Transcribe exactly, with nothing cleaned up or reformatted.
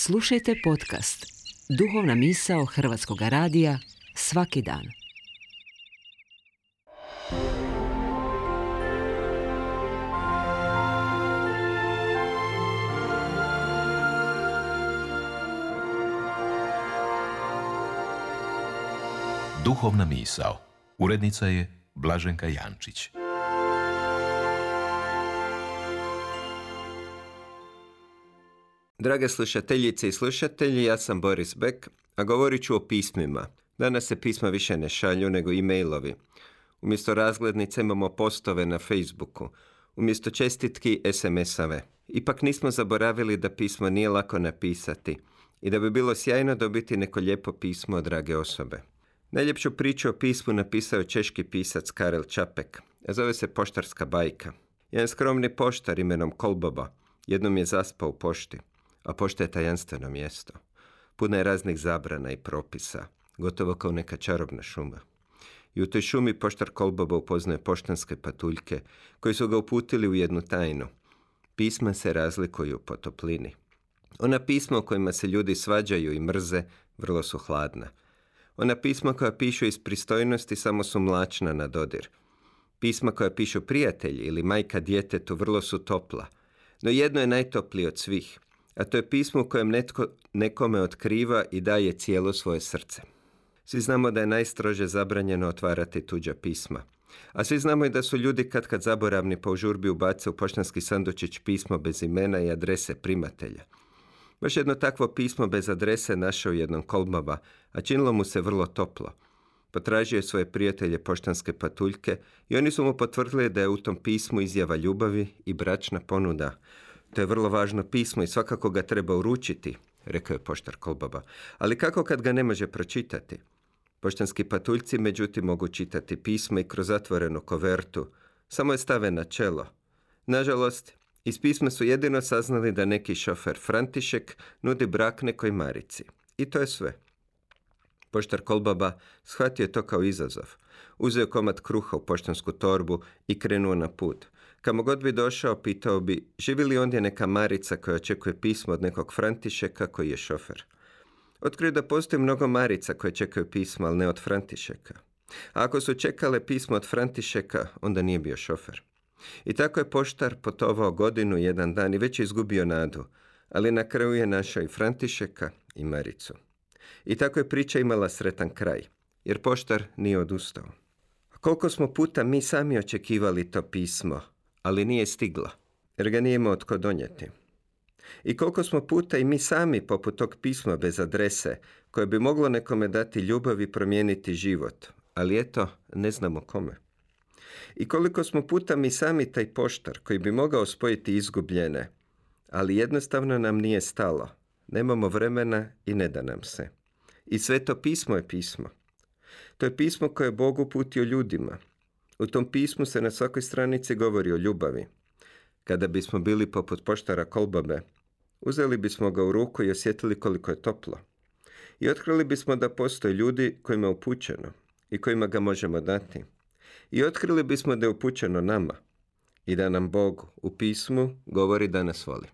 Slušajte podcast Duhovna misao Hrvatskog radija svaki dan. Duhovna misao. Urednica je Blaženka Jančić. Drage slušateljice i slušatelji, ja sam Boris Bek, a govorit ću o pismima. Danas se pisma više ne šalju nego e-mailovi. Umjesto razglednice imamo postove na Facebooku. Umjesto čestitki es em es-ave. Ipak nismo zaboravili da pismo nije lako napisati i da bi bilo sjajno dobiti neko lijepo pismo od drage osobe. Najljepšu priču o pismu napisao češki pisac Karel Čapek, a zove se Poštarska bajka. Jedan skromni poštar imenom Kolboba jednom je zaspao u pošti, a pošta je tajanstveno mjesto. Puno je raznih zabrana i propisa, gotovo kao neka čarobna šuma. I u toj šumi poštar Kolboba upoznaje poštanske patuljke, koji su ga uputili u jednu tajnu. Pisma se razlikuju po toplini. Ona pisma u kojima se ljudi svađaju i mrze vrlo su hladna. Ona pisma koja pišu iz pristojnosti samo su mlačna na dodir. Pisma koja pišu prijatelji ili majka djetetu vrlo su topla. No jedno je najtoplije od svih, a to je pismo u kojem netko nekome otkriva i daje cijelo svoje srce. Svi znamo da je najstrože zabranjeno otvarati tuđa pisma. A svi znamo i da su ljudi kad kad zaboravni pa u žurbi ubace u poštanski sandučić pismo bez imena i adrese primatelja. Baš jedno takvo pismo bez adrese našao jednom Kolboba, a činilo mu se vrlo toplo. Potražio je svoje prijatelje poštanske patuljke i oni su mu potvrdili da je u tom pismu izjava ljubavi i bračna ponuda. To je vrlo važno pismo i svakako ga treba uručiti, rekao je poštar Kolboba. Ali kako kad ga ne može pročitati? Poštanski patuljci međutim mogu čitati pismo i kroz zatvorenu kovertu. Samo je stave na čelo. Nažalost, iz pisma su jedino saznali da neki šofer František nudi brak nekoj Marici. I to je sve. Poštar Kolboba shvatio je to kao izazov. Uzeo komad kruha u poštansku torbu i krenuo na put. Kamo god bi došao, pitao bi, živi li ondje neka Marica koja očekuje pismo od nekog Františeka koji je šofer. Otkrio da postoji mnogo Marica koje čekaju pismo, ali ne od Františeka. A ako su čekale pismo od Františeka, onda nije bio šofer. I tako je poštar putovao godinu, jedan dan i već je izgubio nadu, ali na kraju je našao i Františeka i Maricu. I tako je priča imala sretan kraj, jer poštar nije odustao. Koliko smo puta mi sami očekivali to pismo, ali nije stiglo, jer ga nije imao tko donijeti. I koliko smo puta i mi sami poput tog pisma bez adrese, koje bi moglo nekome dati ljubav i promijeniti život, ali eto, ne znamo kome. I koliko smo puta mi sami taj poštar koji bi mogao spojiti izgubljene, ali jednostavno nam nije stalo. Nemamo vremena i ne da nam se. I sve to pismo je pismo. To je pismo koje je Bog uputio ljudima. U tom pismu se na svakoj stranici govori o ljubavi. Kada bismo bili poput poštara Kolbobe, uzeli bismo ga u ruku i osjetili koliko je toplo. I otkrili bismo da postoje ljudi kojima je upućeno i kojima ga možemo dati. I otkrili bismo da je upućeno nama i da nam Bog u pismu govori da nas voli.